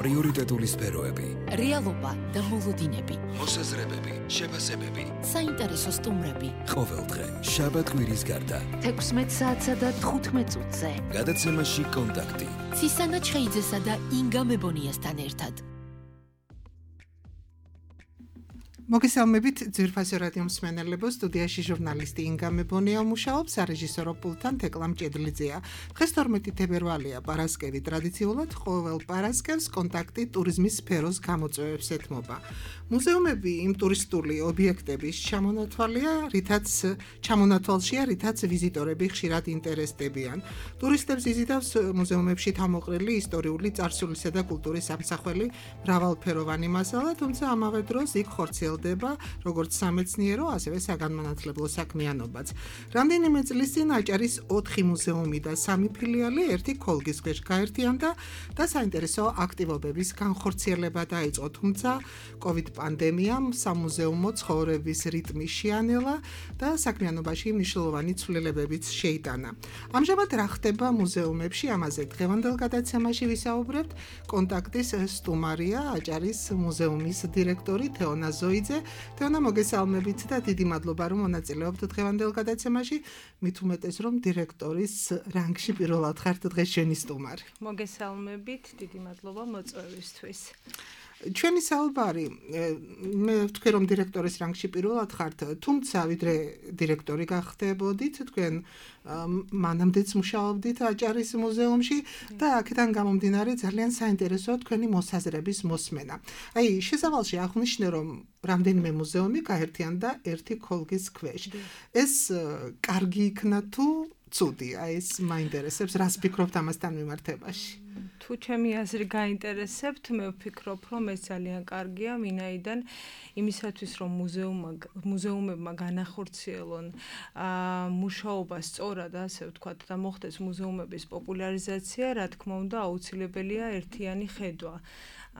პრიორიტეტული სფეროები, რეალობა და მოლოდინები, მოსაზრებები, შეფასებები, საინტერესო სტუმრები. ყოველდღე შაბათ-კვირის გარდა 16 საათსა და 15 წუთზე. გადაცემაში კონტაქტი. ცისანა ჩხეიძესა და ინგა მებონიასთან ერთად. მოგესალმებით ძვირფასო რადიო მსმენელებო, სტუდიაში ჟურნალისტი ინგა მებონია მუშაობს, სარეჟისორო პულტთან თეკლა მჭედლიძეა. დღეს 12 თებერვალია, პარასკევი. ტრადიციულად ყოველ პარასკევს კონტაქტი ტურიზმის სფეროს გამოწვევებს ეთმობა. მუზეუმები იმ ტურისტული ობიექტების ჩამონათვალშია, რითაც ვიზიტორები ხშირად ინტერესდებიან. ტურისტებს იზიდავს მუზეუმებში თავმოყრილი ისტორიული, წარსულისა და კულტურის სამსახველი მრავალფეროვანი მასალა, თუმცა ამავე დროს იქ ხორციელდება როგორც სამეცნიერო, ასევე საგანმანათლებლო საქმიანობაც. რამდენიმე წლის წინ აჭარის 4 მუზეუმი და 3 ფილიალი ერთი ქოლგის ქვეშ გაერთიანდა და საინტერესო აქტივობების განხორციელება დაიწყო, თუმცა COVID პანდემიამ სამუზეუმო ცხოვრების რიტმი შეანელა და საქმიანობაში მნიშვნელოვანი ცვლილებებიც შეიტანა. ამჟამად რა ხდება მუზეუმებში, ამაზე დღევანდელ გადაცემაში ვისაუბრებთ. კონტაქტის სტუმარია აჭარის მუზეუმის დირექტორი თეონა ზოიძე. თეონა, მოგესალმებით და დიდი მადლობა რომ მონაწილეობთ დღევანდელ გადაცემაში. მით უმეტეს რომ დირექტორის რანგში პირველად ხართ დღეს ჩვენი სტუმარი. მოგესალმებით, დიდი მადლობა მოწვევისთვის. ჩვენი საუბარი, მე ვთქვი რომ დირექტორის რანგში პირველად ხართ, თუმცა ვიდრე დირექტორი გახდებოდით, თქვენ მანამდეც მუშაობდით აჭარის მუზეუმში და აქედან გამომდინარე ძალიან საინტერესოა თქვენი მოსაზრების მოსმენა. აი, შესავალში აღვნიშნე რომ რამდენიმე მუზეუმი გაერთიანდა ერთი ქოლგის ქვეშ. ეს კარგი იქნა თუ ცუდი? აი, ეს მაინტერესებს, რას ფიქრობთ ამასთან მიმართებაში? თუ ჩემი აზრი გაინტერესებთ, მე ვფიქრობ, რომ ეს ძალიან კარგია, ვინაიდან იმისათვის, რომ მუზეუმებმა განახორციელონ მუშაობა სწორად, ასე ვთქვათ, და მოხდეს მუზეუმების პოპულარიზაცია, რა თქმა უნდა, აუცილებელია ერთიანი ხედვა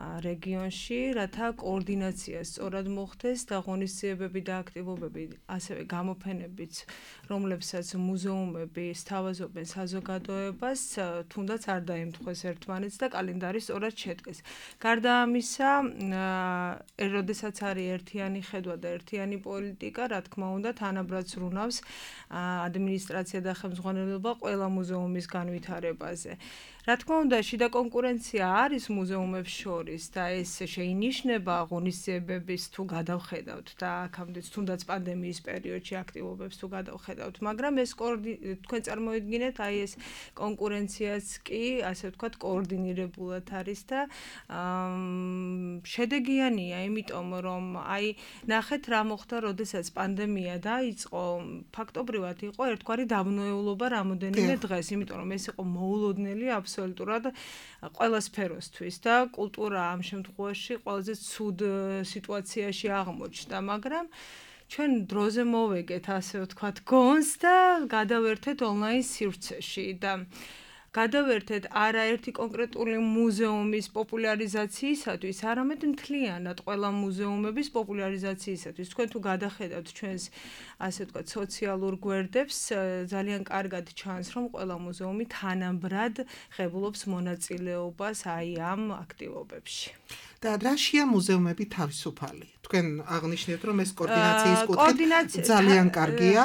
რეგიონში, რათა კოორდინაცია სწორად მოხდეს და ღონისძიებები და აქტივობები, ასევე გამოფენებიც, რომლებსაც მუზეუმები სთავაზობენ საზოგადოებას, თუნდაც არ დაემთხვეს ერთმანეთს და კალენდარი სწორად შედგეს. გარდა ამისა, როდესაც არის ერთიანი ხედვა და ერთიანი პოლიტიკა, რა თქმა უნდა, თანაბრად ზრუნავს ადმინისტრაცია და ხელმძღვანელობა ყველა მუზეუმის განვითარებაზე. რა თქმა უნდა, შიდა კონკურენცია არის მუზეუმებს შორის და ეს შეინიშნება ღონისძიებების თუ გადავხედავთ და აქამდე თუნდაც პანდემიის პერიოდში აქტივობებს თუ გადავხედავთ, მაგრამ ეს თქვენ წარმოიდგინეთ, აი ეს კონკურენციაც კი, ასე ვთქვათ, კოორდინირებულად არის და შედეგიანია, იმიტომ რომ აი ნახეთ რა მოხდა, როდესაც პანდემია დაიწყო, ფაქტობრივად იყო ერთგვარი დაბნეულობა რამოდენიმე დღეს, იმიტომ რომ ეს იყო მოულოდნელი აბსოლუტურად ყველა სფეროსთვის და კულტურა ამ შემთხვევაში ყველაზე ცუდ სიტუაციაში აღმოჩნდა, მაგრამ ჩვენ დროზე მოვეგეთ, ასე ვთქვათ, გონს და გადავერთეთ ონლაინ სივრცეში და გადავერთეთ არაერთი კონკრეტული მუზეუმის პოპულარიზაციისათვის, არამედ მთლიანად ყველა მუზეუმების პოპულარიზაციისათვის. თქვენ თუ გადახედავთ ჩვენს, ასე ვთქვათ, სოციალურ გვერდებს, ძალიან კარგად ჩანს, რომ ყველა მუზეუმი თანაბრად ღებულობს მონაწილეობას აი ამ აქტივობებში. და რაშია მუზეუმები თავისუფალი? თქვენ აღნიშნეთ, რომ ეს კოორდინაციის კუთხით ძალიან კარგია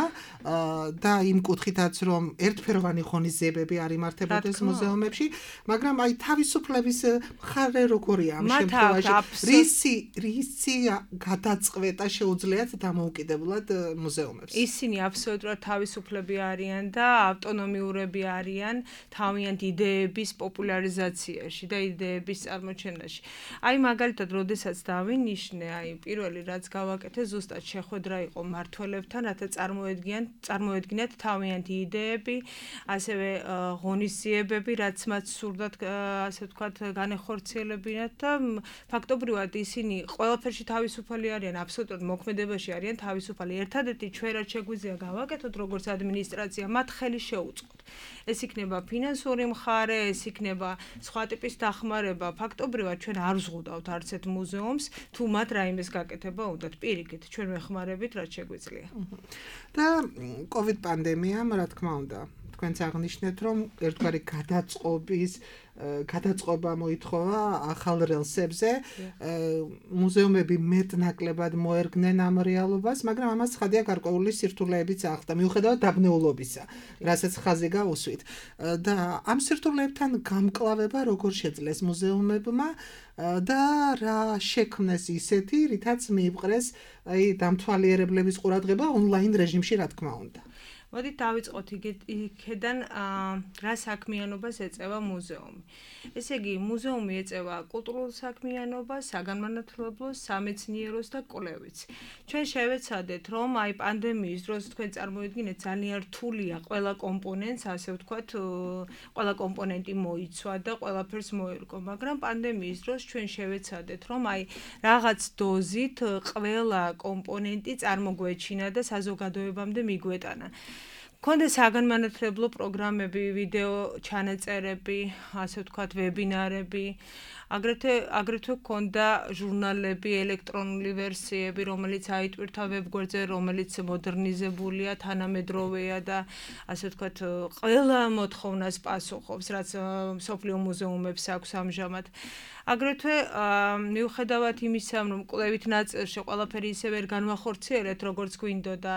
და იმ კუთხითაც, რომ ერთფეროვანი ღონისძიებები არ იმართებოდეს მუზეუმებში, მაგრამ აი თავისუფლების მხარე როგორია ამ შემთხვევაში? რისი გადაწყვეტა შეუძლიათ დამოუკიდებლად მუზეუმებს? ისინი აბსოლუტურად თავისუფლები არიან და ავტონომიურები არიან თავიანთ იდეების პოპულარიზაციაში და იდეების წარმოჩენაში. აი მაგალითად, როდესაც დავინიშნე, აი პირველი რაც გავაკეთე, ზუსტად შეხვედრა იყო მმართველებთან, რათა წარმოედგინათ თავიანთი იდეები, ასევე ღონისძიებები, რაც მათ სურდათ, ასე ვთქვათ, განეხორციელებინათ და ფაქტობრივად ისინი ყველაფერში თავისუფალი არიან, აბსოლუტურად მოქმედებაში არიან თავისუფალი. ერთადერთი ჩვენ რაც შეგვიძლია გავაკეთოთ, როგორც ადმინისტრაცია, მათ ხელი შეუწყოთ. ეს იქნება ფინანსური მხარე, ეს იქნება სხვა ტიპის დახმარება. ფაქტობრივად ჩვენ არ ვზღუდავთ არც ერთ მუზეუმს, თუ მათ რაიმეს გაკეთება უნდათ. პირიქით, ჩვენ ვეხმარებით, რაც შეგვიძლია. და COVID პანდემიამ, რა თქმა უნდა, თქვენც აღნიშნეთ, რომ ერთგვარი გადაწყობა მოითხოვა ახალ რელსებზე. მუზეუმები მეტნაკლებად მოერგნენ ამ რეალობას, მაგრამ ამას ცხადია გარკვეული სირთულეებიც ახლდა, მიუხედავად დაბნეულობისა, რასაც ხაზი გაუსვით. და ამ სირთულეებთან გამკლავება როგორ შეძლეს მუზეუმებმა და რა შექმნეს ისეთი, რითაც მიიპყრეს დამთვალიერებლების ყურადღება ონლაინ რეჟიმში, რა თქმა უნდა. მოდით დავიწყოთ იქედან რა საქმიანობას ეწევა მუზეუმი. ესე იგი, მუზეუმი ეწევა კულტურულ საქმიანობას, საგანმანათლებლოს, სამეცნიეროს და კვლევით. ჩვენ შევეცადეთ, რომ პანდემიის დროს თქვენ წარმოიდგინეთ, ძალიან რთულია ყველა კომპონენტს, ასე ვთქვათ, ყველა კომპონენტი მოიცვა და ყველაფერს მოერგო, მაგრამ პანდემიის დროს ჩვენ შევეცადეთ, რომ რაღაც დოზით ყველა კომპონენტი წარმოგვეჩინა და საზოგადოებამდე მიგვეტანა. Კონდა საგანმანათლებლო პროგრამები, ვიდეო ჩანაწერები, ასე ვთქვათ, ვებინარები, აგრეთვე კონდა ჟურნალები, ელექტრონული ვერსიები, რომელიც აიტვირთა ვებგვერდზე, რომელიც მოდერნიზებულია, თანამედროვეა და ასე ვთქვათ, ყველა მოთხოვნას პასუხობს, რაც მსოფლიო მუზეუმებს აქვს ამჟამად. აგრეთვე მიუხედავად იმისა, რომ კვლევით ნაწილში ყველაფერი ისე ვერ განვახორციელეთ, როგორც გვინდოდა,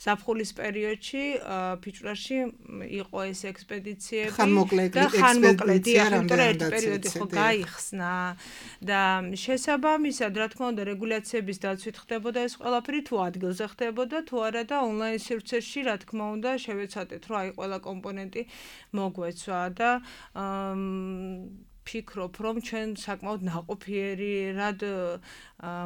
ზაფხულის პერიოდში, ფიჭვრაში იყო ეს ექსპედიციები და ხანმოკლე ერთ პერიოდი ხო გაიხსნა და შესაბამისად, რა თქმა უნდა, რეგულაციების დაცვით ხდებოდა ეს ყველაფერი, თუ ადგილზე ხდებოდა, თუ არა და ონლაინ სივრცეში, რა თქმა უნდა, შევეცადეთ, რომ ყველა კომპონენტი მოგვეცვა და ფიქრობ, რომ ჩვენ საკმაოდ ნაყოფიერად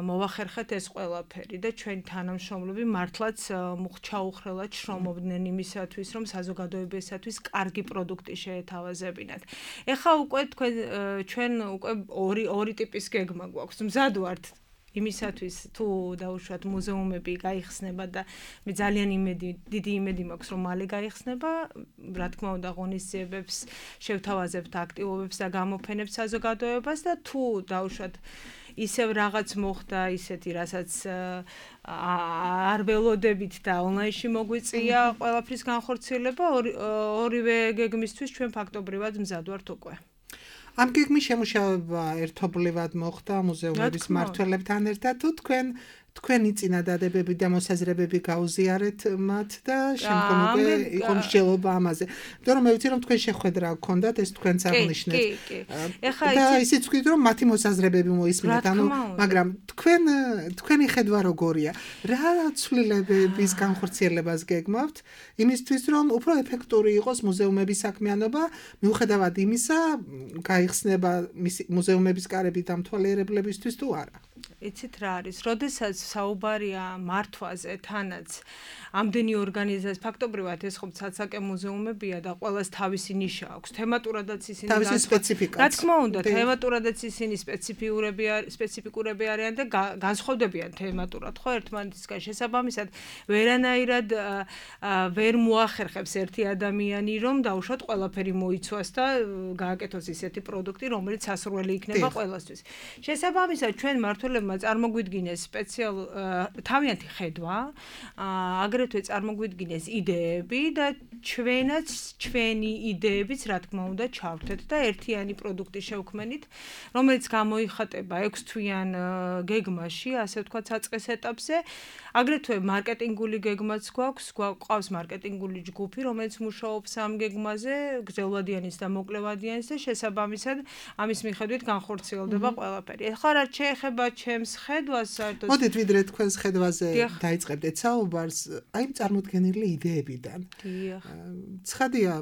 მოვახერხეთ ეს ყველაფერი და ჩვენი თანამშრომლები მართლაც მუხჩაუხრელად შრომობდნენ იმისათვის, რომ საზოგადოებისათვის კარგი პროდუქტი შეეთავაზებინათ. ეხლა უკვე ჩვენ უკვე ორი ტიპის გეგმა გვაქვს. მზად ვართ იმისათვის, თუ დაუშვათ მუზეუმები გაიხსნება და მე ძალიან დიდი იმედი მაქვს, რომ მალე გაიხსნება, რა თქმა უნდა, ღონისძიებებს შევთავაზებთ აქტივობებს და გამოფენებს საზოგადოებას და თუ დაუშვათ ისევ რაღაც მოხდა ისეთი, რასაც არ ველოდებით და ონლაინში მოგვიწია ყველაფრის განხორციელება, ორივე გეგმისთვის ჩვენ ფაქტობრივად მზად ვართ უკვე. ამ გეგმის შემუშავება ერთობლივად მოხდა მუზეუმების მმართველებთან ერთად, თუ თქვენი წინადადებები და მოსაზრებები გაუზიარეთ მათ და შემდგომ უკვე იყო მსჯელობა ამაზე. იმიტომ რომ მე ვიცი, რომ თქვენ შეხვედრა გქონდათ, ეს თქვენც აღნიშნეთ. და ისიც ვთქვით, რომ მათი მოსაზრებები მოისმინეთ, მაგრამ თქვენი ხედვა როგორია? რა ცვლილებების განხორციელებას გეგმავთ იმისთვის, რომ უფრო ეფექტური იყოს მუზეუმების საქმიანობა, მიუხედავად იმისა, გაიხსნება მუზეუმების კარები დამთვალიერებლებისთვის თუ არა? იცით რა არის, როდესაც საუბარია მართვაზე, თანაც ამდენი ორგანიზაცია, ფაქტობრივად ეს ხო ცალსაკე მუზეუმებია და ყველას თავისი ნიშა აქვს. თემატურადაც ისინი თავისი სპეციფიკა. რა თქმა უნდა, თემატურადაც ისინი სპეციფიკურები არიან და განსხვავდებიან თემატურად, ხო, ერთმანეთისგან შესაბამისად, ვერანაირად ვერ მოახერხებს ერთი ადამიანი, რომ დაუშვათ ყველაფერი მოიცვას და გააკეთოს ისეთი პროდუქტი, რომელიც სასურველი იქნება ყველასთვის. შესაბამისად, ჩვენ მმართველებმა წარმოგვიდგინეს თავიანთი ხედვა, აგრეთვე წარმოგვიდგინეს იდეები და ჩვენაც ჩვენი იდეებიც, რა თქმა უნდა, ჩავთეთ და ერთიანი პროდუქტი შევქმნით, რომელიც გამოიხატება 6 თვიან გეგმაში, ასე ვთქვათ, საწყის ეტაპზე. აგრეთვე მარკეტინგული გეგმაც გვაქვს მარკეტინგული ჯგუფი, რომელიც მუშაობს ამ გეგმაზე, გრძელვადიანის და მოკლევადიანის და შესაბამისად ამის მიხედვით განხორციელდება ყველაფერი. ეხლა რაც შეეხება ჩემს ხედვას, საერთოდ მოდით ვიდრე თქვენს ხედვაზე დაიწყებდეთ საუბარს, აი წარმოდგენილი იდეებიდან. ცხადია,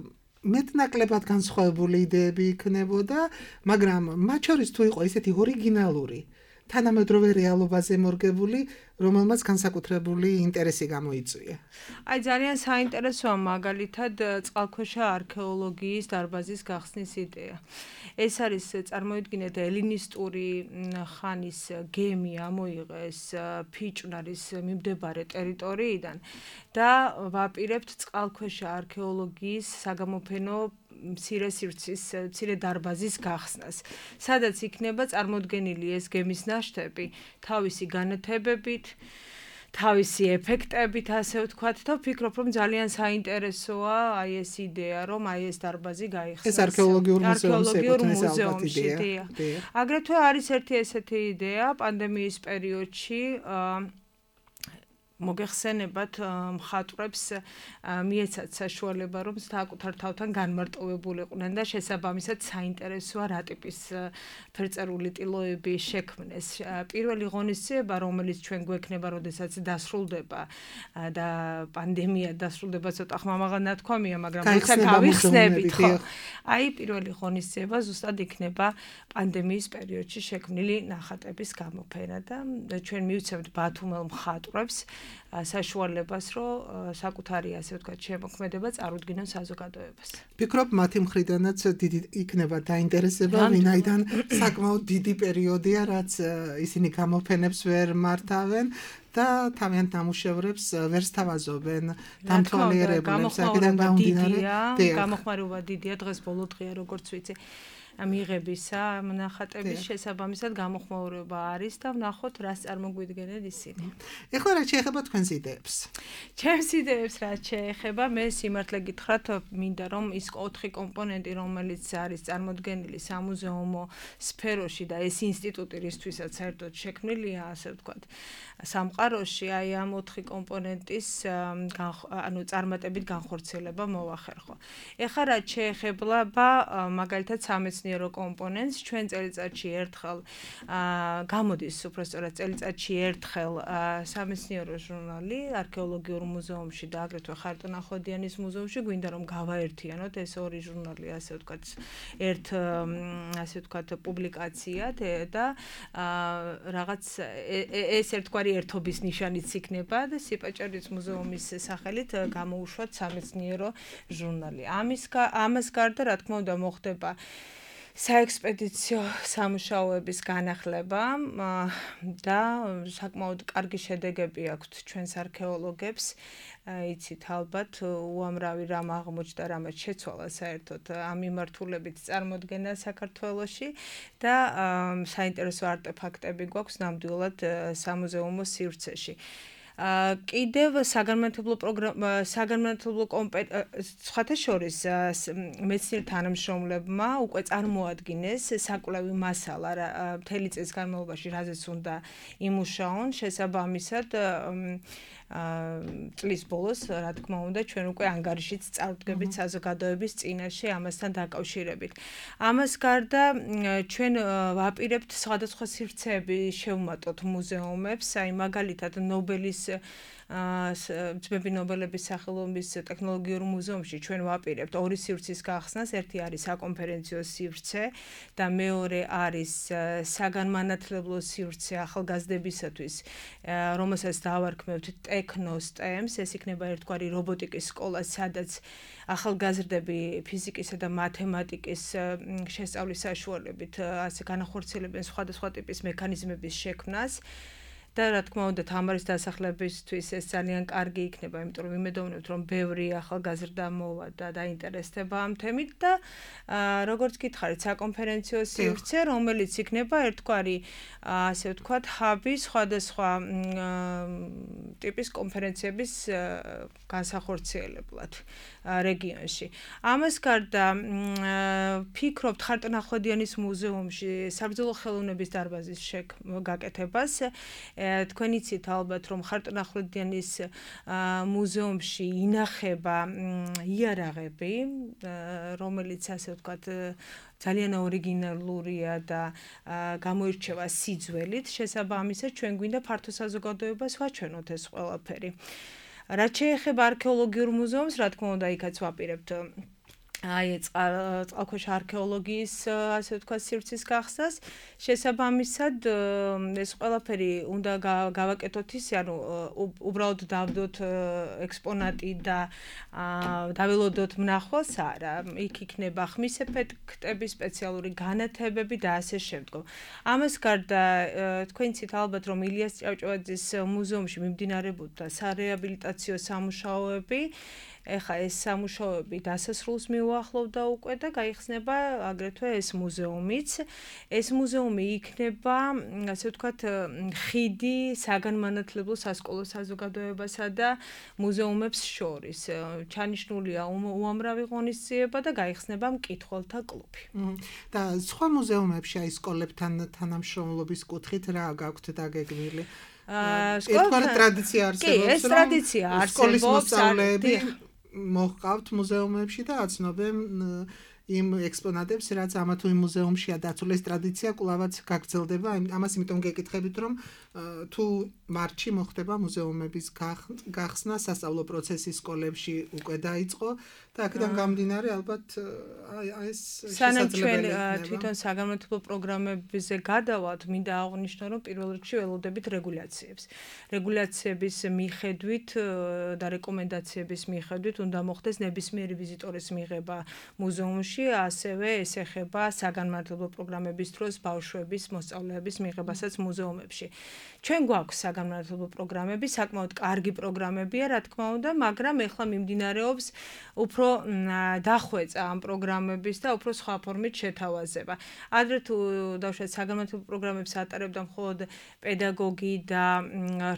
მეტნაკლებად განსხვავებული იდეები იქნებოდა, მაგრამ მათ შორის თუ იყო ესეთი ორიგინალური, თანამედროვე რეალობაზე მორგებული, რომელმაც განსაკუთრებული ინტერესი გამოიწვია. აი ძალიან საინტერესოა მაგალითად წყალქვეშა არქეოლოგიის დარბაზის გახსნის იდეა. ეს არის წარმოიდგინეთ ელინისტური ხანის გემი ამოიღეს ფიჭვნარის მიმდებარე ტერიტორიიდან და ვაპირებთ წყალქვეშა არქეოლოგიის საგამოფენო მცირე დარბაზის გახსნას, სადაც იქნება წარმოდგენილი ეს გემის ნაშთები თავისი განათებებით, თავისი ეფექტებით, ასე ვთქვათ, და ვფიქრობ, რომ ძალიან საინტერესოა აი ეს იდეა, რომ აი ეს დარბაზი გაიხსნას. ეს არქეოლოგიურ მუზეუმში, აგრეთვე არის ერთი ესეთი იდეა პანდემიის პერიოდში მოგეხსენებათ მხატვრებს მიეცათ საშუალება რომ საკუთარ თავთან განმარტოვებულიყვნენ და შესაბამისად საინტერესოა რა ტიპის ფერწერული ტილოები შექმნეს. პირველი ღონისძიება, რომელიც ჩვენ გვექნება, როდესაც დასრულდება და პანდემია დასრულდება, ცოტა ხმამაღლა ნათქვამია, მაგრამ როცა გავიხსნებით, ხო. აი პირველი ღონისძიება ზუსტად იქნება პანდემიის პერიოდში შექმნილი ნახატების გამოფენა და ჩვენ მივცემთ ბათუმელ მხატვრებს საშუალებას, რომ საკუთარი, ასე ვთქვათ, შემოქმედება წარუდგინონ საზოგადოებას. ვფიქრობ, მათი მხრიდანაც დიდი იქნება დაინტერესება, ვინაიდან საკმაოდ დიდი პერიოდია, რაც ისინი გამოფენებს ვერ მართავენ და თავიანთ ნამუშევრებს ვერ სთავაზობენ დამთვალიერებლებს. გამოხმაურება დიდია, დღეს ბოლო დღეა, როგორც ვიცი. მიღებისა ნახატების შესაბამისად გამოხმაურება არის და ვნახოთ რას წარმოგვიდგენენ ისინი. ეხლა რა შეეხება თქვენს იდეებს? ჩემს იდეებს რაც შეეხება, მე სიმართლე გითხრათ, მინდა რომ ის 4 კომპონენტი, რომელიც არის წარმოდგენილი სამუზეუმო სფეროში და ეს ინსტიტუტი, რისთვისაც საერთოდ შექმნილია, ასე ვთქვათ, სამყაროში, აი ამ 4 კომპონენტის წარმატებით განხორციელება მოვახერხო. ეხლა რაც შეეხება მაგალითად სამეცნიერო კომპონენტს, ჩვენ წელიწადში ერთხელ გამოდის, უბრალოდ წელიწადში ერთხელ სამეცნიერო ჟურნალი არქეოლოგიურ მუზეუმში და აგრეთვე ხარტო-ნახოდიანის მუზეუმში, გვინდა რომ გავაერთიანოთ ეს ორი ჟურნალი, ასე ვთქვათ, ერთ ასე ვთქვათ პუბლიკაციად და რაღაც ეს ერთგვარი ერთობის ნიშანიც იქნება და სიპაჭარის მუზეუმის სახელით გამოუშვათ სამეცნიერო ჟურნალი. ამას გარდა, რა თქმა უნდა, მოხდება საექსპედიციო სამუშაოების განახლება და საკმაოდ კარგი შედეგები აქვთ ჩვენს არქეოლოგებს. იცით ალბათ უამრავი რამ აღმოჩნდა, რამაც შეცვალა საერთოდ ამ მიმართულებით წარმოდგენა საქართველოში და საინტერესო არტეფაქტები გვაქვს ნამდვილად სამუზეუმო სივრცეში. კიდევ საგანმანათლებლო სხვათა შორის მეცნიერ თანამშრომლებმა უკვე წარმოადგინეს საკვლევი მასალა მთელი წლის განმავლობაში, რაზეც უნდა იმუშაონ, შესაბამისად წლის ბოლოს, რა თქმა უნდა, ჩვენ უკვე ანგარიშიც წარვდგებით საზოგადოების წინაშე ამასთან დაკავშირებით. ამას გარდა ჩვენ ვაპირებთ სხვადასხვა სივრცეები შევმატოთ მუზეუმებს, აი მაგალითად ნობელის ძმები ნობელების სახელობის ტექნოლოგიურ მუზეუმში ჩვენ ვაპირებთ ორი სივრცის გახსნას, ერთი არის საკონფერენციო სივრცე და მეორე არის საგანმანათლებლო სივრცე ახალგაზრდებისათვის, რომელსაც დავარქმევთ ტექნოსტემს, ეს იქნება ერთგვარი რობოტიკის სკოლა, სადაც ახალგაზრდები ფიზიკისა და მათემატიკის შესწავლის საშუალებით ასე განახორციელებენ სხვადასხვა ტიპის მექანიზმების შექმნას. და რა თქმა უნდა თამარის დასახლებისთვის ეს ძალიან კარგი იქნება, იმიტომ რომ იმედოვნებთ რომ ბევრი ახალგაზრდა მოვა და დაინტერესდება ამ თემით და როგორც გითხარით, საკონფერენციო სივრცე, რომელიც იქნება ერთგვარი ასე ვთქვათ, ჰაბი სხვადასხვა ტიპის კონფერენციების განსახორციელებლად რეგიონში. ამას გარდა ფიქრობთ ხარტო-ნახოდიანის მუზეუმში საბრძოლო ხელოვნების დარბაზის გაკეთებას. თქვენ იცით ალბათ, რომ ხარტო-ნახოდიანის მუზეუმში ინახება იარაღები, რომელიც ასე ვთქვათ ძალიან ორიგინალურია და გამოირჩევა სიძველით, შესაბამისად ჩვენ გვინდა ფართო საზოგადოებას ვაჩვენოთ ეს ყველაფერი. რაც შეეხება არქეოლოგიურ მუზეუმს, რა თქმა უნდა, იქაც ვაპირებთ აი წყალქვეშა არქეოლოგიის ასე ვთქვათ სივრცის გახსნას, შესაბამისად ეს ყველაფერი უნდა გავაკეთოთ ისე, ანუ უბრალოდ დავდოთ ექსპონატი და დაველოდოთ მნახველს, არა, იქ იქნება ხმის ეფექტები, სპეციალური განათებები და ასე შემდგომ. ამას გარდა თქვენ იცით ალბათ, რომ ილიას ჭავჭავაძის მუზეუმში მიმდინარეობდა სარეაბილიტაციო სამუშაოები ეხა ეს სამუშაოები დასასრულს მიუახლოვდა უკვე და გაიხსნება აგრეთვე ეს მუზეუმიც. ეს მუზეუმი იქნება, ასე ვთქვათ, ხიდი საგანმანათლებლო სასკოლო საზოგადოებასა და მუზეუმებს შორის. ჩანიშნულია უამრავი ღონისძიება და გაიხსნება მკითხველთა კლუბი. და სხვა მუზეუმებში აი სკოლებთან თანამშრომლობის კუთხით რა გაქვთ დაგეგმილი? ერთგვარი ტრადიცია არსებობს, ეს ტრადიცია არსებობს, სკოლის მოსწავლეები მოჰყავთ მუზეუმებში და აცნობენ იმ ექსპონატებს, რაც ამა თუ იმ მუზეუმშია დაცული. ეს ტრადიცია კვლავაც გაგრძელდება. ამას იმიტომ გეკითხებით, რომ თუ მარტში მოხდება მუზეუმების გახსნა, სასწავლო პროცესი სკოლებში უკვე დაიწყო და აქედან გამომდინარე ალბათ ეს შესაძლებელი იქნება. თვითონ საგანმანათლებლო პროგრამებზე გადავალთ, მინდა აღვნიშნო, რომ პირველ რიგში ველოდებით რეგულაციებს. რეგულაციების მიხედვით და რეკომენდაციების მიხედვით უნდა მოხდეს ნებისმიერი ვიზიტორის მიღება მუზეუმში, ასევე ეს ეხება საგანმანათლებლო პროგრამების დროს ბავშვების მოსწავლეების მიღებასაც მუზეუმებში. ჩვენ გვაქვს საგანმანათლებლო პროგრამები, საკმაოდ კარგი პროგრამებია, რა თქმა უნდა, მაგრამ ეხლა მიმდინარეობს უფრო დახვეწა ამ პროგრამების და უფრო სხვა ფორმით შეთავაზება. ადრე თუ დავუშვათ საგანმანათლებლო პროგრამებს ატარებდა მხოლოდ პედაგოგი და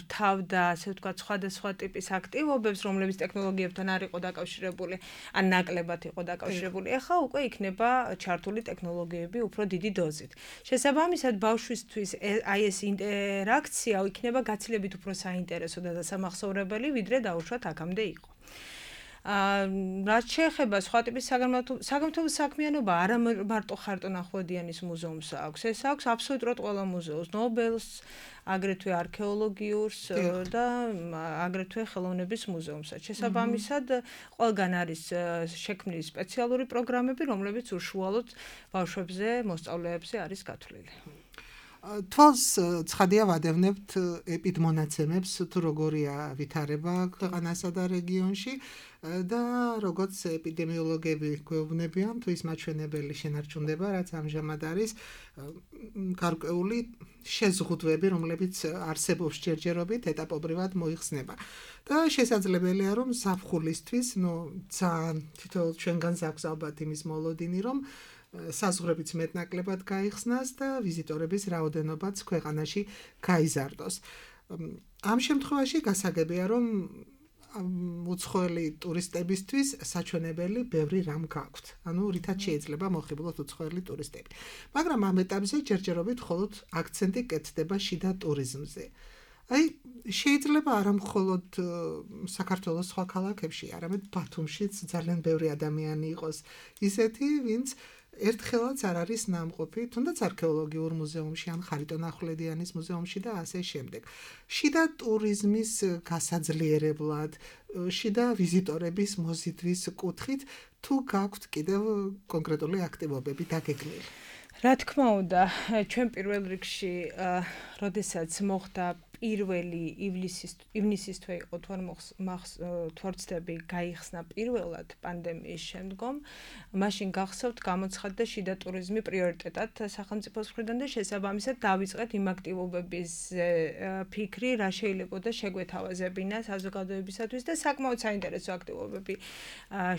რთავდა, ასე ვთქვათ, სხვადასხვა ტიპის აქტივობებს, რომლებიც ტექნოლოგიებთან არ იყო დაკავშირებული, ან ნაკლებად იყო დაკავშირებული. ეხლა უკვე იქნება ჩართული ტექნოლოგიები უფრო დიდი დოზით. შესაბამისად, ბავშვისთვის აი ეს ინტერაქცია იქნება გაცილებით უფრო საინტერესო და დასამახსოვრებელი, ვიდრე დაუშვათ აქამდე იყო. რაც შეეხება სხვა ტიპის საგანმანათლებლო საქმიანობა, არა მარტო ხარტონ ახვლედიანის მუზეუმს აქვს, ეს აქვს აბსოლუტურად ყველა მუზეუმს, ნობელს, აგრეთვე არქეოლოგიურს და აგრეთვე ხელოვნების მუზეუმსაც. შესაბამისად, ყველგან არის შექმნილი სპეციალური პროგრამები, რომლებიც უშუალოდ ბავშვებზე, მოსწავლეებზე არის გათვლილი. თვალს ცხადია ვადევნებთ ეპიდმონაცემებს, თუ როგორია ვითარება ქვეყანასა და რეგიონში და როგორც ეპიდემიოლოგები გვეუბნებიან, თუ ის მაჩვენებელი შენარჩუნდება, რაც ამჟამად არის გარკვეული შეზღუდვები, რომლებიც არსებობს ჯერჯერობით ეტაპობრივად მოიხსნება. და შესაძლებელია, რომ ზაფხულისთვის, ძალიან თითოეულ ჩვენგანს აქვს ალბათ იმის მოლოდინი, რომ საზღვრებიც მეტნაკლებად გაიხსნას და ვიზიტორების რაოდენობაც ქვეყანაში გაიზარდოს. ამ შემთხვევაში გასაგებია, რომ უცხოელი ტურისტებისთვის საჩვენებელი ბევრი რამ გაქვთ. ანუ რითაც შეიძლება მოხიბლოთ უცხოელი ტურისტები. მაგრამ ამ ეტაპზე ჯერჯერობით მხოლოდ აქცენტი კეთდება შიდა ტურიზმზე. აი, შეიძლება არა მხოლოდ საქართველოს სხვა ქალაქებში, არამედ ბათუმშიც ძალიან ბევრი ადამიანი იყოს ისეთი, ვინც ერთხელაც არ არის ნამყოფი, თუნდაც არქეოლოგიურ მუზეუმში, ან ხარიტონ ახვლედიანის მუზეუმში და ასე შემდეგ. შიდა ტურიზმის გასაძლიერებლად, შიდა ვიზიტორების მოზიდვის კუთხით, თუ გაქვთ კიდევ კონკრეტული აქტივობები დაგეგმილი? რა თქმა უნდა, ჩვენ პირველ რიგში, როდესაც მოხდა პირველი ივნისის თვე იყო თვალწდები გაიხსნა პირველად პანდემიის შემდგომ, მაშინ გახსოვთ გამოცხადდა შიდა ტურიზმი პრიორიტეტად სახელმწიფოს მხრიდან და შესაბამისად დავიწყეთ იმ აქტივობების ფიქრი, რა შეიძლებოდა შეგვეთავაზებინა საზოგადოებისათვის და საკმაოდ საინტერესო აქტივობები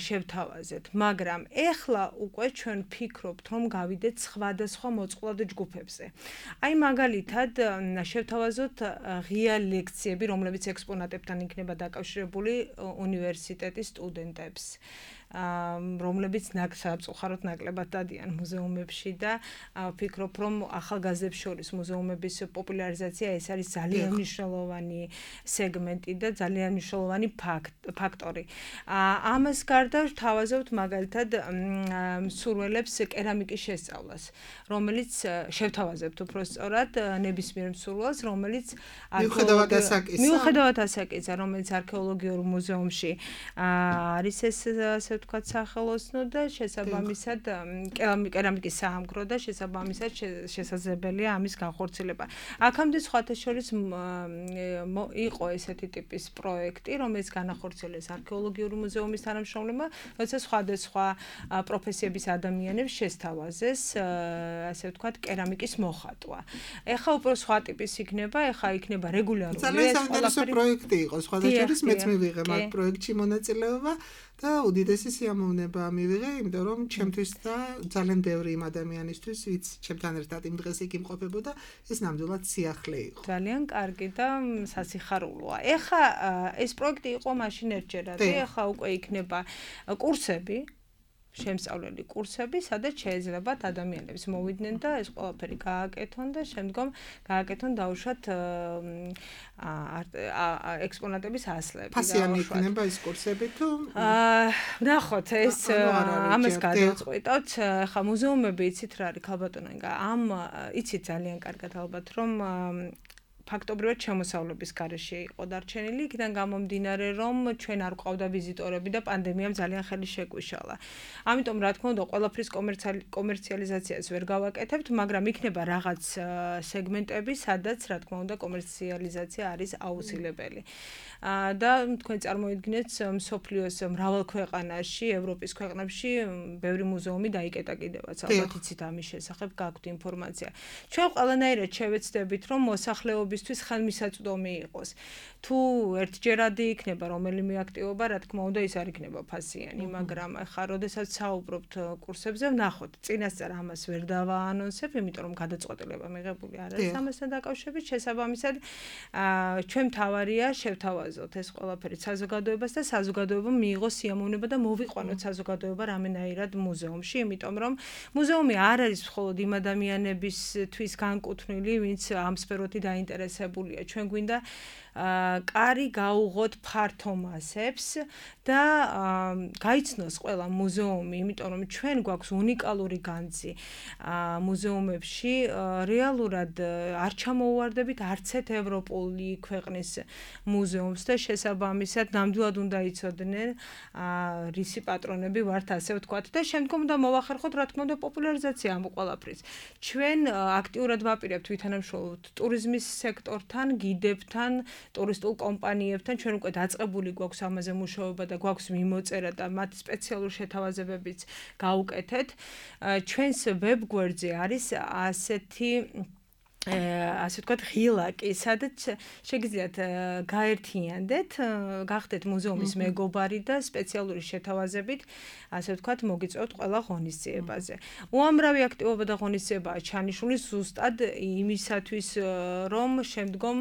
შევთავაზეთ. მაგრამ ეხლა უკვე ჩვენ ვფიქრობთ, რომ გავიდეთ სხვადასხვა მოწყვლად ჯგუფებზე. აი მაგალითად, შევთავაზოთ ღია ლექციები, რომლებიც ექსპონატებთან იქნება დაკავშირებული უნივერსიტეტის სტუდენტებს, რომლებიც სამწუხაროდ ნაკლებად დადიან მუზეუმებში და ვფიქრობ, რომ ახალგაზრდებს შორის მუზეუმების პოპულარიზაცია ეს არის ძალიან მნიშვნელოვანი სეგმენტი და ძალიან მნიშვნელოვანი ფაქტორი. ამას გარდა ვთავაზობთ მაგალითად მსურველებს კერამიკის შესწავლას, რომელიც შევთავაზებთ უფრო სწორად ნებისმიერ მსურველს, რომელიც მიუხედავად ასაკისა, რომელიც არქეოლოგიურ მუზეუმში არის ეს ასე ვთქვათ, სახელოსნო და შესაბამისად კერამიკის საამქრო და შესაბამისად შესაძლებელია ამის განხორციელება. აქამდე სხვათა შორის იყო ესეთი ტიპის პროექტი, რომელიც განახორციელეს არქეოლოგიური მუზეუმის თანამშრომლებმა, როცა სხვადასხვა პროფესიების ადამიანებს შესთავაზეს, ასე ვთქვათ, კერამიკის მოხატვა. ეხლა უფრო სხვა ტიპის იქნება, ეხლა იქნება რეგულარული ძალიან საინტერესო პროექტი იყო, სხვათა შორის მეც მივიღე მაგ პროექტში მონაწილეობა და უდიდესი სიამოვნება მივიღე, იმიტომ რომ ჩემთვის და ძალიან ბევრი იმ ადამიანისთვის, ვინც ჩემთან ერთად იმ დღეს იქ იმყოფებოდა, ეს ნამდვილად სიახლე იყო. ძალიან კარგი და სასიხარულოა. ეხლა ეს პროექტი იყო მაშინ ერთჯერადი, ეხლა უკვე იქნება კურსები, შემსწავლელი კურსები, სადაც შეეძლებათ ადამიანებს მოვიდნენ და ეს ყველაფერი გააკეთონ და შემდგომ გააკეთონ დაუშვათ ექსპონატების ასლები. ფასიანი იქნება ეს კურსები თუ? ნახოთ, ეს ამას გადავწყვიტოთ. ხა მუზეუმები იცით რა არის ქალბატონო ინგა, იცით ძალიან კარგად ალბათ რომ ფაქტობრივად შემოსავლების გარეშე იყო დარჩენილი, იქიდან გამომდინარე, რომ ჩვენ არ გვყავდა ვიზიტორები და პანდემიამ ძალიან ხელი შეგვიშალა. ამიტომ რა თქმა უნდა, ყველაფრის კომერციალიზაციას ვერ გავაკეთებთ, მაგრამ იქნება რაღაც სეგმენტები, სადაც რა თქმა უნდა, კომერციალიზაცია არის აუცილებელი. და თქვენ წარმოიდგინეთ, მსოფლიოს მრავალ ქვეყანაში, ევროპის ქვეყნებში ბევრი მუზეუმი დაიკეტა კიდევაც, ალბათ იცით ამის შესახებ, გაქვთ ინფორმაცია. ჩვენ ყველანაირად შევეცდებით, რომ მოსახლეობისთვის ხელმისაწვდომი იყოს. თუ ერთჯერადი იქნება რომელიმე აქტივობა, რა თქმა უნდა, ის არ იქნება ფასიანი, მაგრამ ახლა როდესაც საუბრობთ კურსებზე, ვნახოთ, წინასწარ ამას ვერ დავაანონსებ, იმიტომ რომ გადაწყვეტილება მიღებული არ არის ამასთან დაკავშირებით, შესაბამისად, ჩვენ მთავარია შევთავაზოთ ეს ყველაფერი საზოგადოებას და საზოგადოებამ მიიღოს სიამოვნება და მოვიყვანოთ საზოგადოება რამენაირად მუზეუმში, იმიტომ რომ მუზეუმი არ არის მხოლოდ იმ ადამიანებისთვის განკუთვნილი, ვინც ამ სფეროთი დაინტერესებულია. ჩვენ გვინდა კარი გაუღოთ ფართო მასებს და გაიცნოს ყველა მუზეუმი, იმიტომ რომ ჩვენ გვაქვს უნიკალური განძი მუზეუმებში, რეალურად არ ჩამოუვარდებით არც ერთ ევროპული ქვეყნის მუზეუმს და შესაბამისად ნამდვილად უნდა იცოდნენ რისი პატრონები ვართ, ასე ვთქვათ და შემდგომ უნდა მოვახერხოთ რა თქმა უნდა პოპულარიზაცია ამ ყველაფრის. ჩვენ აქტიურად ვაპირებთ ვითანამშრომლობთ ტურიზმის სექტორთან, გიდებთან, ტურისტულ კომპანიებთან, ჩვენ უკვე დაწყებული გვაქვს ამაზე მუშაობა და გვაქვს მიმოწერა და მათ სპეციალური შეთავაზებებიც გავუკეთეთ. ჩვენს ვებგვერდზე არის ასეთი ასე ვთქვათ, ღილაკი, სადაც შეგიძლიათ გაერთიანდეთ, გახდეთ მუზეუმის მეგობარი და სპეციალური შეთავაზებით, ასე ვთქვათ, მოგიწევთ ყველა ღონისძიებაზე. უამრავი აქტივობა და ღონისძიებაა ჩანიშნული ზუსტად იმისათვის, რომ შემდგომ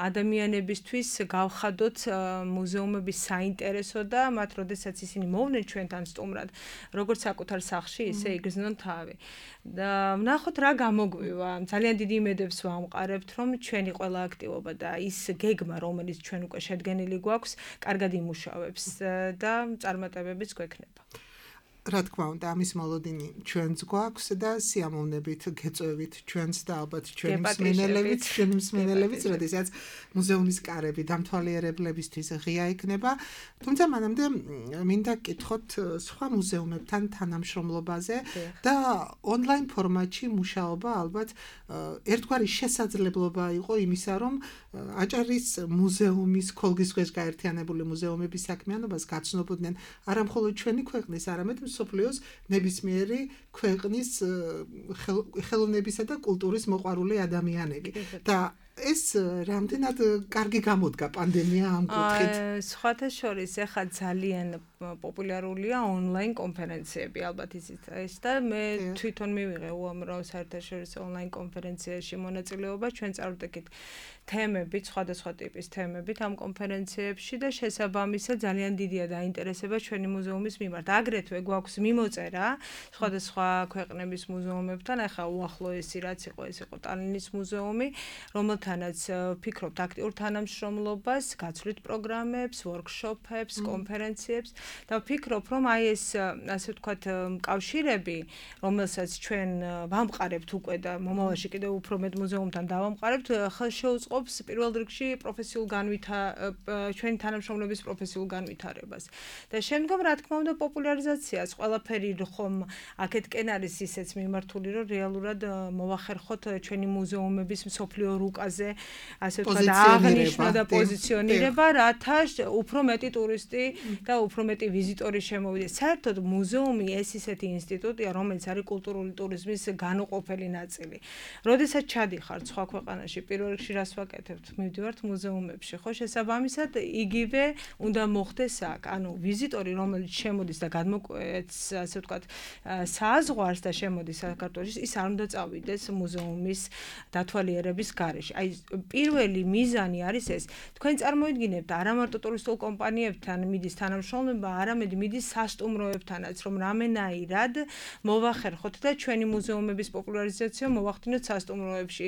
ადამიანებისთვის გავხადოთ მუზეუმების საინტერესო და მათ როდესაც ისინი მოვნენ ჩვენთან სტუმრად, როგორც საკუთარ სახლში, ისე იგრძნონ თავი. და ვნახოთ რა გამოგვივა. ძალიან დიდი იმედებს ვამყარებთ, რომ ჩვენი ყველა აქტივობა და ის გეგმა, რომელიც ჩვენ უკვე შედგენილი გვაქვს, კარგად იმუშავებს და წარმატებებიც გვექნება. რა თქმა უნდა, ამის მოლოდინი ჩვენც გვაქვს და სიამოვნებით გეწევით ჩვენც და ალბათ ჩვენი მსმენელებიც, როდესაც მუზეუმის კარები დამთვალიერებლებისთვის ღია იქნება. თუმცა მანამდე მინდა გკითხოთ სხვა მუზეუმებთან თანამშრომლობაზე და ონლაინ ფორმატში მუშაობა ალბათ ერთგვარი შესაძლებლობა იყო იმისა, რომ აჭარის მუზეუმის ქოლგის ქვეშ გაერთიანებული მუზეუმების საქმიანობას გაცნობოდნენ არა მხოლოდ ჩვენი ქვეყნის, არამედ მსოფლიოს ნებისმიერი ქვეყნის ხელოვნებისა და კულტურის მოყვარული ადამიანები. და ეს რამდენად კარგი გამოდგა პანდემია ამ კუთხით. სხვათა შორის ახლა ძალიან პოპულარულია ონლაინ კონფერენციები, ალბათ ისიც ეს და მე თვითონ მივიღე უამრავ საერთაშორისო ონლაინ კონფერენციაში მონაწილეობა, ჩვენ წარვდექით თემებით, სხვადასხვა ტიპის თემებით ამ კონფერენციებში და შესაბამისად ძალიან დიდია დაინტერესება ჩვენი მუზეუმის მიმართ. აგრეთვე გვაქვს მიმოწერა სხვადასხვა ქვეყნების მუზეუმებთან, ახლა უახლოესი რაც იყო, ეს იყო ტალინის მუზეუმი, რომელთან ამიტანაც ვფიქრობთ აქტიურ თანამშრომლობას, გაცვლით პროგრამებს, ვორქშოპებს, კონფერენციებს და ვფიქრობ, რომ აი ეს ასე ვთქვათ კავშირები, რომელსაც ჩვენ ვამყარებთ უკვე და მომავალში კიდევ უფრო მეტ მუზეუმთან დავამყარებთ, ხელშეუწყობს პირველ რიგში ჩვენი თანამშრომლების პროფესიულ განვითარებას. და შემდგომ რა თქმა უნდა პოპულარიზაციას, ყველაფერი ხომ აქეთკენ არის ისეც მიმართული, რომ რეალურად მოვახერხოთ ჩვენი მუზეუმების მსოფლიო რუკაზე, ასე ვთქვათ, აღნიშვნა და პოზიციონირება, რათა უფრო მეტი ტურისტი და უფრო მეტი ვიზიტორი შემოვიდეს. საერთოდ მუზეუმი ეს ისეთი ინსტიტუტია, რომელიც არის კულტურული ტურიზმის განუყოფელი ნაწილი. როდესაც ჩადიხართ სხვა ქვეყანაში, პირველ რიგში რას ვაკეთებთ? მივდივართ მუზეუმებში, ხო, შესაბამისად იგივე უნდა მოხდეს აქ. ანუ ვიზიტორი, რომელიც შემოდის და გადმოკვეთს, ასე ვთქვათ, საზღვარს და შემოდის საქართველოში, ის არ უნდა წავიდეს მუზეუმის დათვალიერების გარეშე. აი, პირველი მიზანი არის ეს. თქვენ წარმოიდგინებთ, არა მარტო ტურისტულ კომპანიებთან მიდის თანამშრომლობა, არამედ მიდის სასტუმროებთანაც, რომ რამენაირად მოვახერხოთ და ჩვენი მუზეუმების პოპულარიზაცია მოვახდინოთ სასტუმროებში,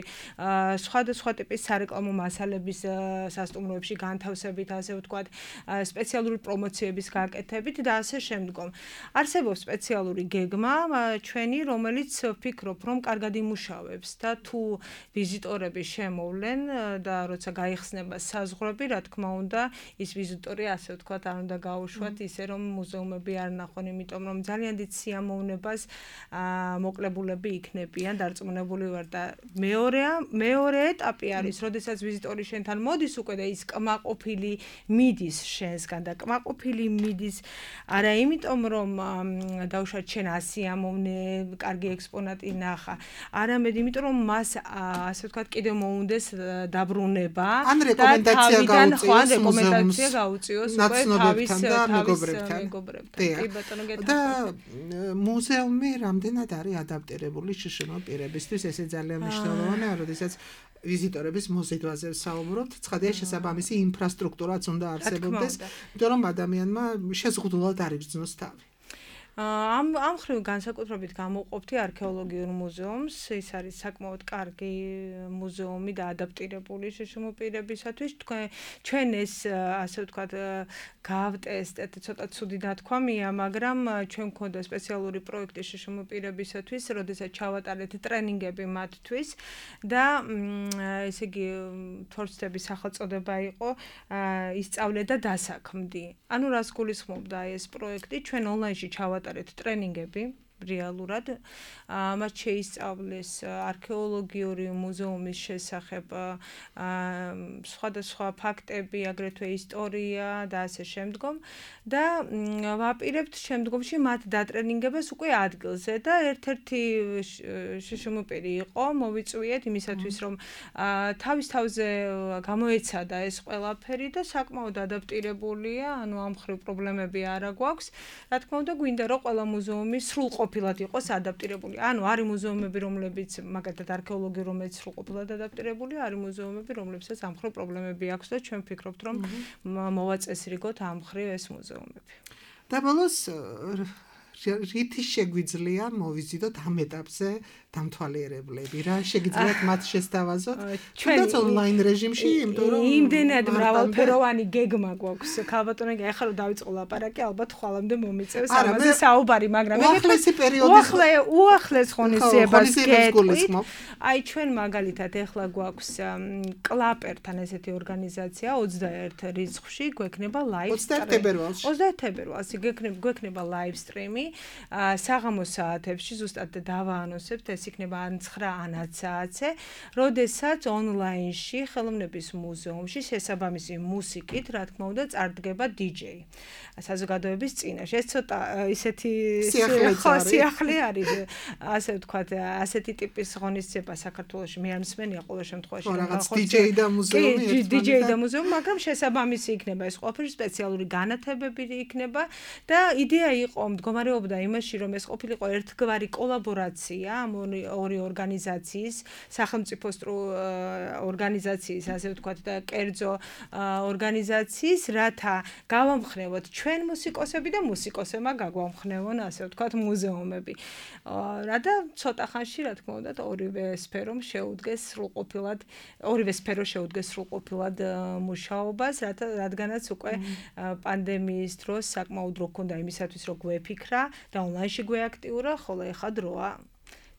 სხვადასხვა ტიპის სარეკლამო მასალების სასტუმროებში განთავსებით, ასე ვთქვათ, სპეციალური პრომოციების გაკეთებით და ასე შემდგომ. არსებობს სპეციალური გეგმა ჩვენი, რომელიც ვფიქრობ, რომ კარგად იმუშავებს და თუ ვიზიტორები შემოვლენ და როცა გაიხსნება საზღვრები, რა თქმა უნდა, ის ვიზიტორი ასე ვთქვათ, არ უნდა გაუშვათ ისე რომ მუზეუმები არ ნახონ, იმიტომ რომ ძალიან დიდ სიამოვნებას მოკლებულები იქნებიან, დარწმუნებული ვარ და მეორე ეტაპი არის, როდესაც ვიზიტორი შენთან მოდის უკვე და ის კმაყოფილი მიდის შენსგან და კმაყოფილი მიდის არა იმიტომ რომ დავუშვათ შენ ასიამოვნე, კარგი ექსპონატი ნახა, არამედ იმიტომ რომ მას ასე ვთქვათ კიდევ მოუნდეს დაბრუნება ან რეკომენდაცია გაუწიოს უკვე თავის მეგობრებთან. კი ბატონო გეთა. და მუზეუმი რამდენად არის ადაპტირებული შშმ პირებისთვის, ესე ძალიან მნიშვნელოვანია, როდესაც ვიზიტორების მოზიდვაზე ვსაუბრობთ, ცხადია შესაბამისი ინფრასტრუქტურაც უნდა არსებობდეს, იმიტომ რომ ადამიანმა შეზღუდულად არ იგრძნოს თავი. ამ ხრივ განსაკუთრებით გამოვყოფთი არქეოლოგიურ მუზეუმს, ის არის საკმაოდ კარგი მუზეუმი და ადაპტირებული შშმ პირებისათვის. ჩვენ ეს ასე ვთქვათ გავტესტეთ, ცოტა ცუდი დათქვამია, მაგრამ ჩვენ გვქონდა სპეციალური პროექტი შშმ პირებისათვის, როდესაც ჩავატარეთ ტრენინგები მათთვის და ესე იგი თორცდების სახელწოდება იყო ისწავლე და დასაქმდი. ანუ რას გულისხმობდა ეს პროექტი? ჩვენ ონლაინში ჩავატარეთ ტრენინგები რეალურად, მათ შეისწავლეს არქეოლოგიური მუზეუმის შესახებ სხვადასხვა ფაქტები, აგრეთვე ისტორია და ასე შემდგომ და ვაპირებთ შემდგომში მათ დატრენინგებას უკვე ადგილზე და ერთ-ერთი შშმ პირი იყო, მოვიწვიეთ იმისათვის, რომ თავის თავზე გამოეცადა ეს ყველაფერი და საკმაოდ ადაპტირებულია, ანუ ამ ხრივ პრობლემები არა გვაქვს. რა თქმა უნდა, გვინდა რომ ყველა მუზეუმი სრულყოფილად იყოს ადაპტირებული. ანუ არის მუზეუმები, რომლებიც მაგალითად არქეოლოგია, რომელიც სრულყოფილად ადაპტირებულია, არის მუზეუმები, რომლებსაც ამ ხრივ პრობლემები აქვს და ჩვენ ვფიქრობთ, რომ მოვაწესრიგოთ ამ ხრივ ეს მუზეუმები. და ბოლოს რითი შეგვიძლია მოვიზიდოთ ამ ეტაპზე დამთვალიერებლები, რა შეგიძლიათ მათ შესთავაზოთ? ჩვენც ონლაინ რეჟიმში, იმიტომ რომ იმდენად მრავალფეროვანი გეგმა გვაქვს. ქალბატონო, ახლა რომ დავიწყო ლაპარაკი, ალბათ ხვალამდე მომიწევს ამაზე საუბარი, მაგრამ უახლესი პერიოდის უახლეს ღონისძიებას გეტყვით. აი ჩვენ მაგალითად ახლა გვაქვს კლაპერთან ესეთი ორგანიზაცია 21 რიცხვში გვექნება ლაივ 21 თებერვალში. 21 თებერვალში გვექნება ლაივ სტრიმი საღამოს საათებში, ზუსტად დავაანონსებთ, ეს იქნება ან 9 ან 10 საათზე, როდესაც ონლაინში ხელოვნების მუზეუმში შესაბამისი მუსიკით, რა თქმა უნდა, წარდგება DJ საზოგადოების წინაშე. ეს ცოტა ისეთი სიახლე არის, ასე ვთქვათ, ასეთი ტიპის ღონისძიება საქართველოში მე არ მსმენია ყოველ შემთხვევაში. რაღაც DJ და მუზეუმი, DJ და მუზეუმი, მაგრამ შესაბამისი იქნება ეს ყველაფერი, სპეციალური განათებები იქნება და იდეა იყო მდგომარეობა მუშაობდა იმაში, რომ ეს ყოფილიყო ერთგვარი კოლაბორაცია ამ ორი ორგანიზაციის, სახელმწიფო ორგანიზაციის, ასე ვთქვათ და კერძო ორგანიზაციის, რათა გავამხნევოთ ჩვენ მუსიკოსები და მუსიკოსებმა გაგვამხნევონ, ასე ვთქვათ, მუზეუმები. რათა ცოტა ხანში, რა თქმა უნდა, ორივე სფერო შეუდგეს სრულყოფილად მუშაობას, რადგანაც უკვე პანდემიის დროს საკმაოდ დრო ჰქონდა იმისათვის, რომ გვეფიქრა და ონლაინში გვეაქტიურა, ხოლო ეხლა დროა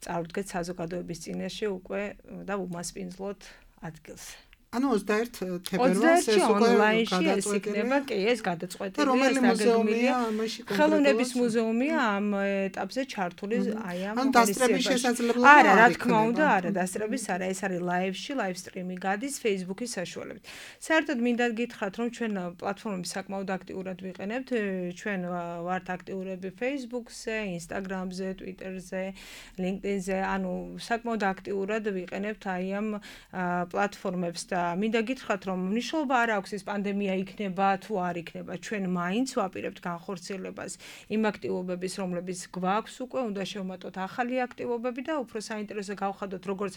წავდგეთ საზოგადოების წინაშე უკვე და უმასპინძლოთ ადგილს. ანუ 21 თებერვალს ეს უკვე ონლაინში ეს იქნება, კი, ეს გადაწყვეტილია, რომელი მუზეუმია ამაში კონკრეტულად? ხელოვნების მუზეუმია ამ ეტაპზე ჩართული, აი ამ ან დასწრების შესაძლებლობა არა, რა თქმა უნდა, არა, დასწრების არა, ეს არის ლაივში, ლაივ სტრიმი გადის Facebook-ის საშუალებით. საერთოდ მინდა გითხრათ, რომ ჩვენ პლატფორმები საკმაოდ აქტიურად ვიყენებთ, ჩვენ ვართ აქტიურები Facebook-ზე, Instagram-ზე, Twitter-ზე, LinkedIn-ზე, ანუ საკმაოდ აქტიურად ვიყენებთ აი ამ პლატფორმებს და მინდა გითხრათ, რომ მნიშვნელობა არ აქვს ის პანდემია იქნება თუ არ იქნება. ჩვენ მაინც ვაპირებთ განხორციელებას იმ აქტივობების, რომლებიც გვაქვს უკვე, უნდა შევმატოთ ახალი აქტივობები და უფრო საინტერესო გავხადოთ როგორც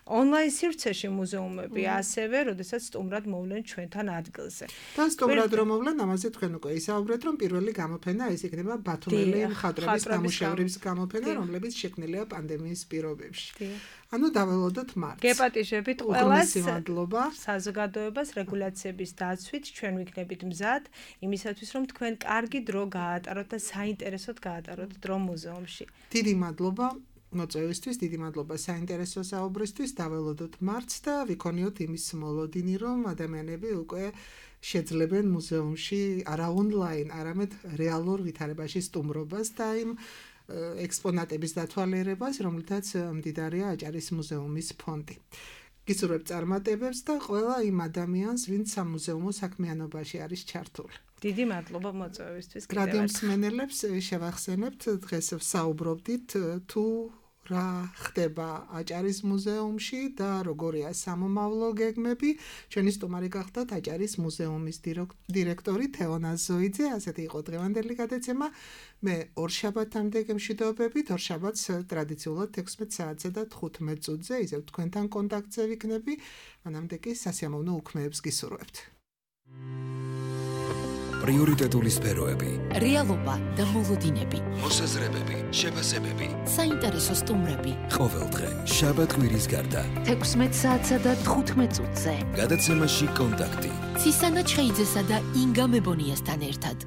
ონლაინ სივრცეში მუზეუმები, ასევე, როდესაც სტუმრად მოვლენ ჩვენთან ადგილზე. და სტუმრად რომ მოვლენ, ამაზე თქვენ უკვე ისაუბრეთ, რომ პირველი გამოფენა ეს იქნება ბათუმელი მხატვრების ნამუშევრების გამოფენა, რომლებიც შექმნილია პანდემიის პირობებში. ანუ დაველოდოთ მარტს. გეპატიჟებით ყველას მადლობა. საზოგადოებას რეგულაციების დაცვით ჩვენ ვიქნებით მზად იმისათვის, რომ თქვენ კარგი დრო გაატაროთ და საინტერესოდ გაატაროთ დრო მუზეუმში. დიდი მადლობა მოწვევისთვის, დიდი მადლობა საინტერესო საუბრისთვის. დაველოდოთ მარტს და ვიქონიოთ იმის მოლოდინი, რომ ადამიანები უკვე შეძლებენ მუზეუმში არა ონლაინ, არამედ რეალურ ვითარებაში სტუმრობას და იმ ექსპონატების დათვალიერებას, რომლითაც მდიდარია აჭარის მუზეუმის ფონდი. გისურვებთ წარმატებებს და ყველა იმ ადამიანს, ვინც სამუზეუმო საქმიანობაში არის ჩართული. დიდი მადლობა მოწვევისთვის. რადიო მსმენელებს შევახსენებთ, დღეს ვსაუბრობდით თუ რა ხდება აჭარის მუზეუმში და როგორია სამომავლო გეგმები. ჩვენი სტუმარი გახდათ აჭარის მუზეუმის დირექტორი თეონა ზოიძე. ასეთი იყო დღევანდელი გადაცემა. მე ორშაბათამდე გემშვიდობებით, ორშაბათს ტრადიციულად 16 საათზე და 15 წუთზე ისევ თქვენთან კონტაქტზე ვიქნები. მანამდე კი სასიამოვნო უქმეებს გისურვებთ. პრიორიტეტული სფეროები, რეალობა და მოლოდინები, მოსაზრებები, შეფასებები, საინტერესო სტუმრები. ყოველდღე, შაბათ-კვირის გარდა. 16 საათსა და 15 წუთზე. გადაცემაში კონტაქტი. ცისანა ჩხეიძესა და ინგა მებონიასთან ერთად.